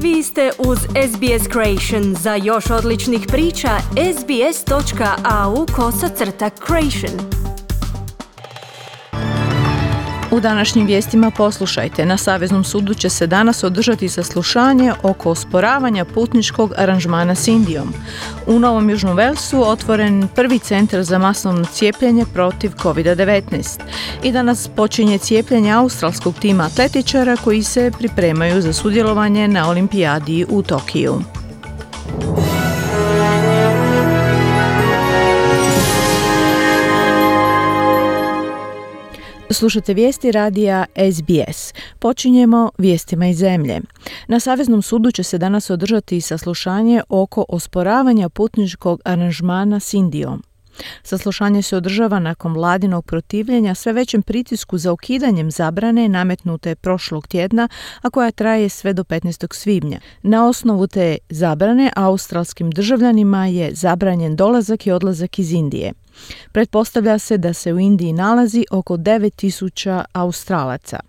Vi ste uz SBS Creation. Za još odličnih priča, sbs.au/creation. U današnjim vijestima poslušajte. Na Saveznom sudu će se danas održati saslušanje oko osporavanja putničkog aranžmana s Indijom. U Novom Južnom Velsu otvoren prvi centar za masovno cijepljenje protiv COVID-19. I danas počinje cijepljenje australskog tima atletičara koji se pripremaju za sudjelovanje na olimpijadi u Tokiju. Slušate vijesti radija SBS. Počinjemo vijestima iz zemlje. Na Saveznom sudu će se danas održati saslušanje oko osporavanja putničkog aranžmana s Indijom. Saslušanje se održava nakon vladinog protivljenja sve većem pritisku za ukidanjem zabrane nametnute prošlog tjedna, a koja traje sve do 15. svibnja. Na osnovu te zabrane australskim državljanima je zabranjen dolazak i odlazak iz Indije. Pretpostavlja se da se u Indiji nalazi oko 9.000 Australaca.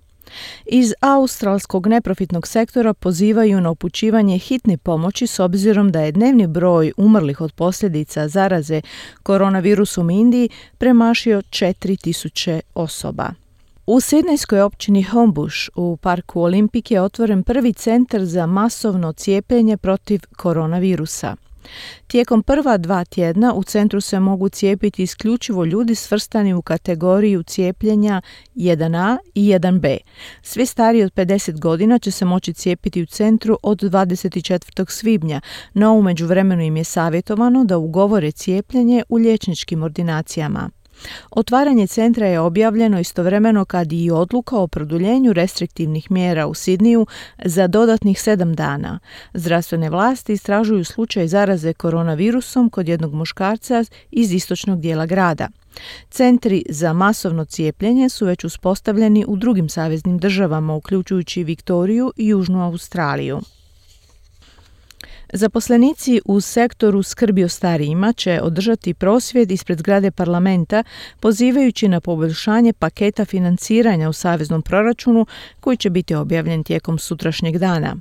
Iz australskog neprofitnog sektora pozivaju na upućivanje hitne pomoći s obzirom da je dnevni broj umrlih od posljedica zaraze koronavirusom u Indiji premašio 4.000 osoba. U sidnejskoj općini Homebush u parku Olimpik je otvoren prvi centar za masovno cijepljenje protiv koronavirusa. Tijekom prva 2 tjedna u centru se mogu cijepiti isključivo ljudi svrstani u kategoriju cijepljenja 1A i 1B. Svi stariji od 50 godina će se moći cijepiti u centru od 24. svibnja, no u međuvremenu im je savjetovano da ugovore cijepljenje u liječničkim ordinacijama. Otvaranje centra je objavljeno istovremeno kad i odluka o produljenju restriktivnih mjera u Sidniju za dodatnih 7 dana. Zdravstvene vlasti istražuju slučaj zaraze koronavirusom kod jednog muškarca iz istočnog dijela grada. Centri za masovno cijepljenje su već uspostavljeni u drugim saveznim državama, uključujući Viktoriju i Južnu Australiju. Zaposlenici u sektoru skrbi o starijima će održati prosvjed ispred zgrade parlamenta pozivajući na poboljšanje paketa financiranja u saveznom proračunu koji će biti objavljen tijekom sutrašnjeg dana.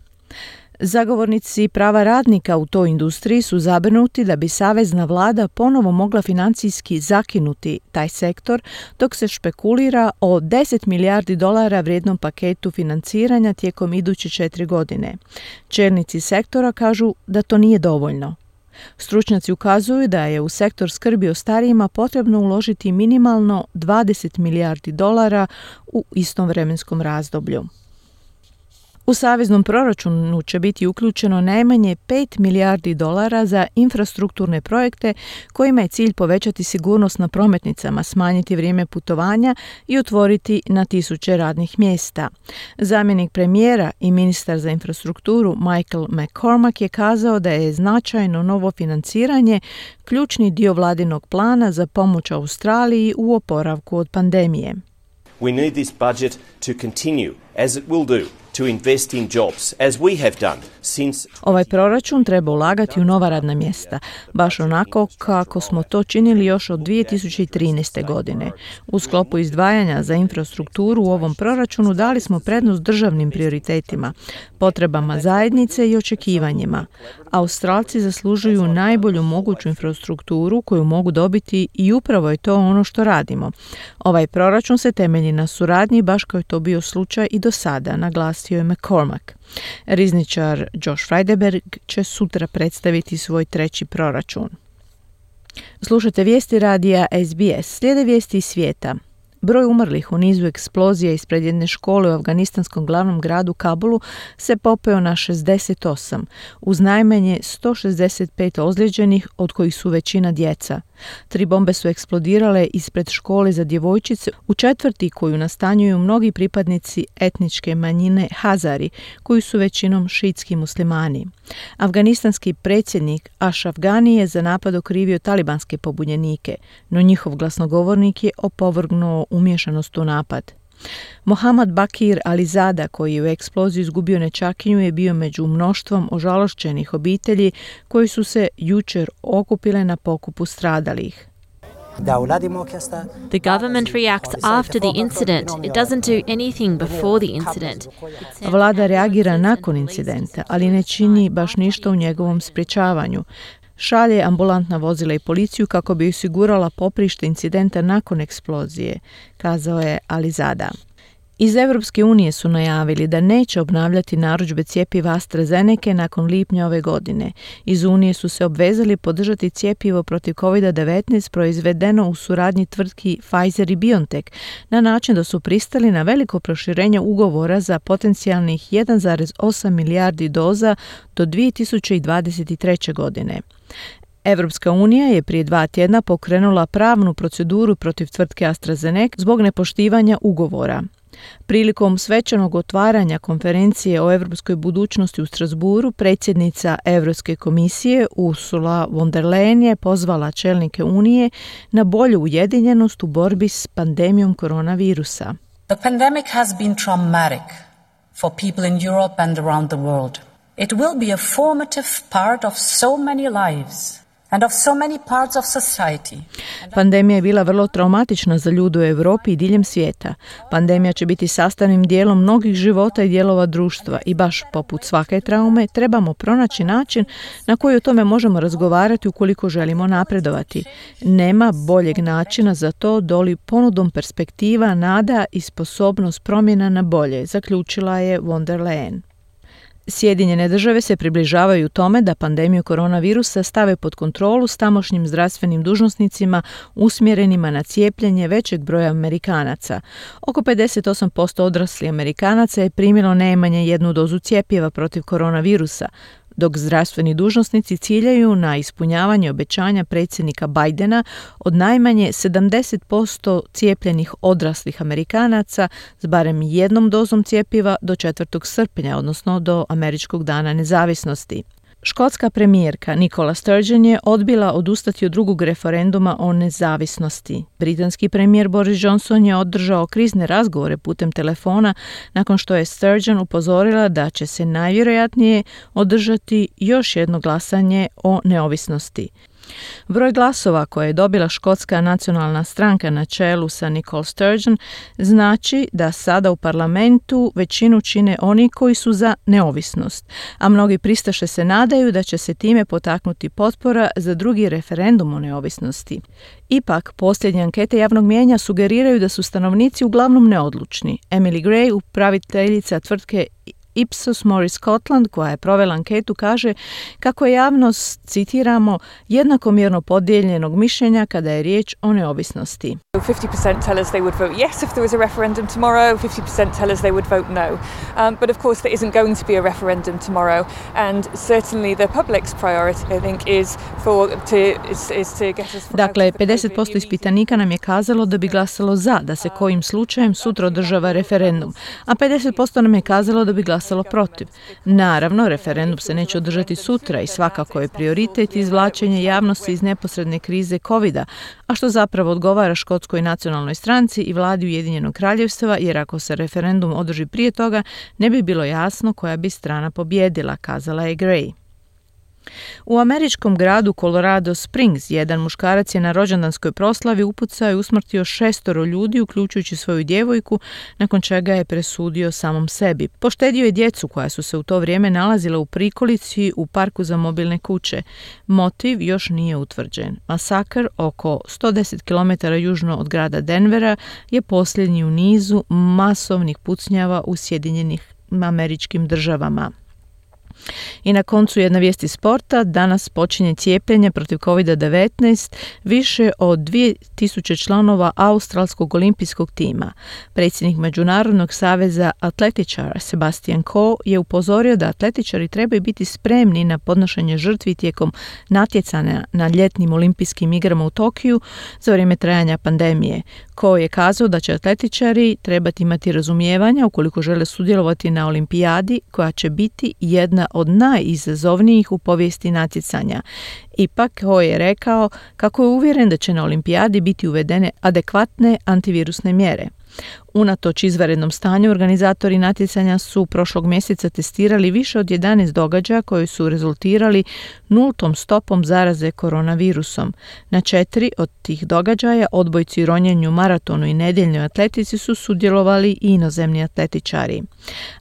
Zagovornici prava radnika u toj industriji su zabrinuti da bi savezna vlada ponovo mogla financijski zakinuti taj sektor dok se špekulira o $10 milijardi vrijednom paketu financiranja tijekom iduće 4 godine. Čelnici sektora kažu da to nije dovoljno. Stručnjaci ukazuju da je u sektor skrbi o starijima potrebno uložiti minimalno $20 milijardi u istom vremenskom razdoblju. U saveznom proračunu će biti uključeno najmanje $5 milijardi za infrastrukturne projekte kojima je cilj povećati sigurnost na prometnicama, smanjiti vrijeme putovanja i otvoriti na 1000 radnih mjesta. Zamjenik premijera i ministar za infrastrukturu Michael McCormack je kazao da je značajno novo financiranje ključni dio vladinog plana za pomoć Australiji u oporavku od pandemije. We need this budget to continue, as it will do, to invest in jobs, as we have done since... Ovaj proračun treba ulagati u nova radna mjesta, baš onako kako smo to činili još od 2013. godine. U sklopu izdvajanja za infrastrukturu u ovom proračunu dali smo prednost državnim prioritetima, potrebama zajednice i očekivanjima. Australci zaslužuju najbolju moguću infrastrukturu koju mogu dobiti i upravo je to ono što radimo. Ovaj proračun se temelji na suradnji, baš kao je to bio slučaj i do sada, naglasio je McCormack. Rizničar Josh Frydenberg će sutra predstaviti svoj 3. proračun. Slušate vijesti radija SBS. Slijede vijesti iz svijeta. Broj umrlih u nizu eksplozija ispred jedne škole u afganistanskom glavnom gradu Kabulu se popeo na 68, uz najmanje 165 ozlijeđenih, od kojih su većina djeca. 3 bombe su eksplodirale ispred škole za djevojčice u četvrti koju nastanjuju mnogi pripadnici etničke manjine Hazari, koji su većinom šiitski muslimani. Afganistanski predsjednik Ashraf Ghani je za napad okrivio talibanske pobunjenike, no njihov glasnogovornik je opovrgnuo umiješanost u napad. Mohammad Bakir Alizada, koji je u eksploziji izgubio nećakinju, je bio među mnoštvom ožalošćenih obitelji koji su se jučer okupile na pokupu stradalih. The government reacts after the incident. It doesn't do anything before the incident. Vlada reagira nakon incidenta, ali ne čini baš ništa u njegovom sprječavanju. Šalje ambulantna vozila i policiju kako bi osigurala poprište incidenta nakon eksplozije, kazao je Alizada. Iz Europske unije su najavili da neće obnavljati narudžbe cjepiva AstraZeneca nakon lipnja ove godine. Iz Unije su se obvezali podržati cjepivo protiv COVID-19 proizvedeno u suradnji tvrtki Pfizer i BioNTech na način da su pristali na veliko proširenje ugovora za potencijalnih 1,8 milijardi doza do 2023. godine. Europska unija je prije 2 tjedna pokrenula pravnu proceduru protiv tvrtke AstraZeneca zbog nepoštivanja ugovora. Prilikom svečanog otvaranja konferencije o europskoj budućnosti u Strasbourgu, predsjednica Europske komisije Ursula von der Leyen je pozvala čelnike Unije na bolju ujedinjenost u borbi s pandemijom koronavirusa. The pandemic has been traumatic for people in Europe and around the world. It will be a formative part of so many lives. And of so many parts of society. Pandemija je bila vrlo traumatična za ljude u Europi i diljem svijeta. Pandemija će biti sastavnim dijelom mnogih života i dijelova društva i baš poput svake traume trebamo pronaći način na koji o tome možemo razgovarati ukoliko želimo napredovati. Nema boljeg načina za to doli ponudom perspektiva, nada i sposobnost promjena na bolje, zaključila je von der Leyen. Sjedinjene države se približavaju tome da pandemiju koronavirusa stave pod kontrolu s tamošnjim zdravstvenim dužnosnicima usmjerenima na cijepljenje većeg broja Amerikanaca. Oko 58% odraslih Amerikanaca je primilo najmanje 1 dozu cjepiva protiv koronavirusa, dok zdravstveni dužnosnici ciljaju na ispunjavanje obećanja predsjednika Bidena od najmanje 70% cijepljenih odraslih Amerikanaca s barem 1 dozom cjepiva do 4. srpnja, odnosno do Američkog dana nezavisnosti. Škotska premijerka Nicola Sturgeon je odbila odustati od drugog referenduma o nezavisnosti. Britanski premijer Boris Johnson je održao krizne razgovore putem telefona nakon što je Sturgeon upozorila da će se najvjerojatnije održati još jedno glasanje o neovisnosti. Broj glasova koje je dobila Škotska nacionalna stranka na čelu sa Nicola Sturgeon znači da sada u parlamentu većinu čine oni koji su za neovisnost, a mnogi pristaše se nadaju da će se time potaknuti potpora za drugi referendum o neovisnosti. Ipak, posljednje ankete javnog mijenja sugeriraju da su stanovnici uglavnom neodlučni. Emily Gray, upraviteljica tvrtke Ipsos Mori Scotland, koja je provela anketu, kaže kako je javnost, citiramo, jednakomjerno podijeljenog mišljenja kada je riječ o neovisnosti. 50% tell us they would vote yes if there was a referendum tomorrow, 50% tell us they would vote no. But of course there isn't going to be a referendum tomorrow, and certainly the public's priority, I think, is to get us... Dakle, 50% ispitanika nam je kazalo da bi glasalo za, da se kojim slučajem sutra održava referendum, a 50% nam je kazalo da bi glasalo protiv. Naravno, referendum se neće održati sutra i svakako je prioritet izvlačenje javnosti iz neposredne krize COVID-a, a što zapravo odgovara Škotskoj nacionalnoj stranci i vladi Ujedinjenog kraljevstva, jer ako se referendum održi prije toga, ne bi bilo jasno koja bi strana pobijedila, kazala je Gray. U američkom gradu Colorado Springs jedan muškarac je na rođendanskoj proslavi upucao i usmrtio 6 ljudi, uključujući svoju djevojku, nakon čega je presudio samom sebi. Poštedio je djecu koja su se u to vrijeme nalazila u prikolici u parku za mobilne kuće. Motiv još nije utvrđen. Masakr oko 110 km južno od grada Denvera je posljednji u nizu masovnih pucnjava u Sjedinjenim Američkim Državama. I na koncu jedna vijest iz sporta. Danas počinje cijepljenje protiv COVID-19 više od 2000 članova australskog olimpijskog tima. Predsjednik Međunarodnog saveza atletičara Sebastian Coe je upozorio da atletičari trebaju biti spremni na podnošenje žrtvi tijekom natjecanja na ljetnim olimpijskim igrama u Tokiju za vrijeme trajanja pandemije. Coe je kazao da će atletičari trebati imati razumijevanja ukoliko žele sudjelovati na olimpijadi koja će biti jedna od najizazovnijih u povijesti natjecanja. Ipak, Coe je rekao kako je uvjeren da će na olimpijadi biti uvedene adekvatne antivirusne mjere. Unatoč izvanrednom stanju, organizatori natjecanja su prošlog mjeseca testirali više od 11 događaja koji su rezultirali nultom stopom zaraze koronavirusom. Na 4 od tih događaja, odbojci, ronjenju, maratonu i nedjeljnoj atletici, su sudjelovali i inozemni atletičari.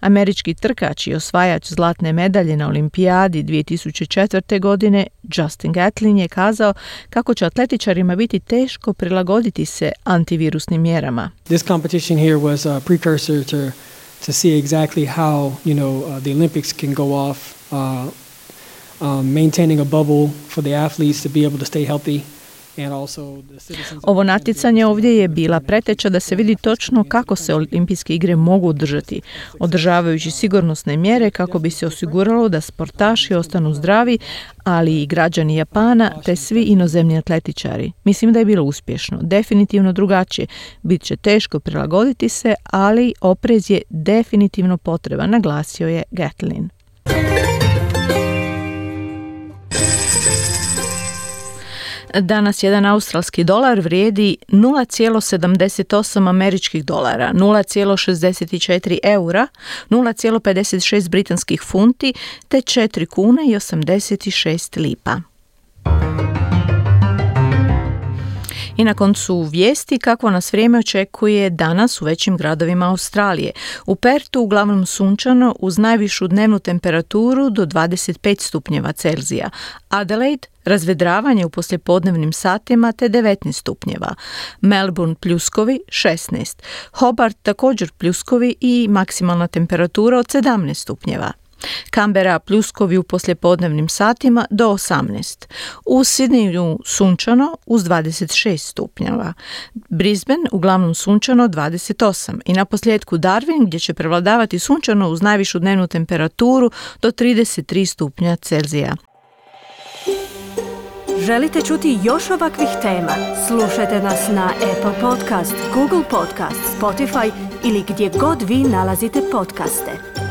Američki trkač i osvajač zlatne medalje na olimpijadi 2004. godine, Justin Gatlin, je kazao kako će atletičarima biti teško prilagoditi se antivirusnim mjerama. This competition here was a precursor to see exactly how, the Olympics can go off, maintaining a bubble for the athletes to be able to stay healthy. Ovo natjecanje ovdje je bila preteča da se vidi točno kako se olimpijske igre mogu održati, održavajući sigurnosne mjere kako bi se osiguralo da sportaši ostanu zdravi, ali i građani Japana te svi inozemni atletičari. Mislim da je bilo uspješno, definitivno drugačije. Bit će teško prilagoditi se, ali oprez je definitivno potreban, naglasio je Gatlin. Danas jedan australski dolar vrijedi 0,78 američkih dolara, 0,64 eura, 0,56 britanskih funti te 4 kune i 86 lipa. I na koncu vijesti kako nas vrijeme očekuje danas u većim gradovima Australije. U Pertu uglavnom sunčano uz najvišu dnevnu temperaturu do 25 stupnjeva Celzija. Adelaide razvedravanje u poslijepodnevnim satima te 19 stupnjeva. Melbourne pljuskovi 16. Hobart također pljuskovi i maksimalna temperatura od 17 stupnjeva. Canberra pljuskovi u poslijepodnevnim satima do 18. U Sydneyu sunčano uz 26 stupnjeva. Brisbane uglavnom sunčano 28. I naposljetku Darwin gdje će prevladavati sunčano uz najvišu dnevnu temperaturu do 33 stupnja Celzija. Želite čuti još ovakvih tema? Slušajte nas na Apple Podcast, Google Podcast, Spotify ili gdje god vi nalazite podcaste.